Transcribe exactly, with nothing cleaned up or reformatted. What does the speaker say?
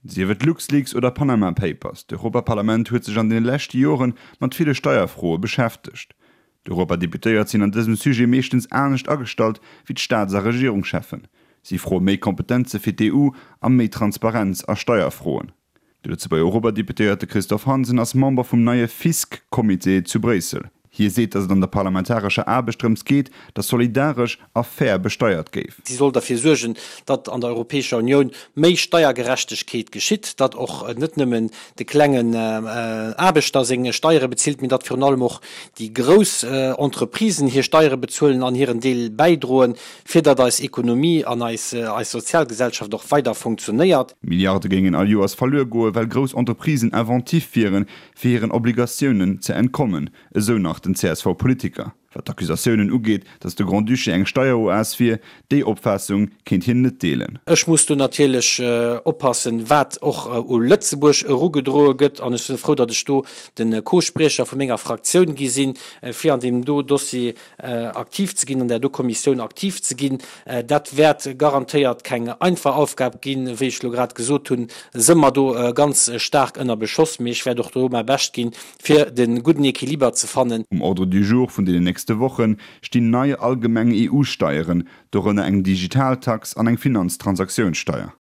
Sief et LuxLeaks oder Panama Papers, d'Europaparlament huet sech an den leschte Joren mat ville Steierfroe beschäftegt. D'Europadeputéiert sinn an dësem Sujet meeschtens anescht agestallt wéi d'Staats a Regierungscheffen. Si froe méi Kompetenze fir d'EU a méi Transparenz a Steierfroen. De Lëtzebuerger Europadeputéierte Christophe Hansen ass Member vum neie Fisc-Comité zu Bréissel. Hie seet, datt et an der parlamentarescher Aarbecht drëms geet, datt solidaresch a fair besteiert géif. Si soll derfir suergen, datt an der Europäescher Unioun méi Steiergerechtegkeet geschitt, datt och net nëmmen de klengen Aarbechter seng Steiere bezilt, mee datt virun allem och déi grouss Entreprisen hir Steiere bezuelen an hiren Deel bäidroen, fir datt eis Ekonomie an eis Sozialgesellschaft och weider funktionéiert. Milliarde géingen all Joers verluer goen, well grouss Entreprisen inventiv wieren, fir hiren Obligatiounen ze entkommen, esou nach den C S V-Politiker. Wat d'Accusatiounen ugeet, datt de Grand-Duché eng Steieroas wier, déi Opfaassung kéint hien net deelen. Ech muss do natierlech oppassen, wat och u Lëtzebuerg erugedroe gëtt, an ech sinn frou, datt ech do de Co-Spriecher vu menger Fraktioun gi sinn, fir an deem do Dossier aktiv ze ginn, an där do Kommissioun aktiv ze ginn. Dat wäert garantéiert keng einfach Aufgab ginn. Wéi ech elo grad gesot hunn, si mer do ganz staark ënner Beschoss, mee ech wäert och do mäi Bescht ginn, fir de gudden Equiliber ze fannen. Um Ordre du jour vun deenen nächste Woche stinn nei allgemeng E U-Steieren, dorënner eng Digitaltax an eng Finanztransaktiounssteier.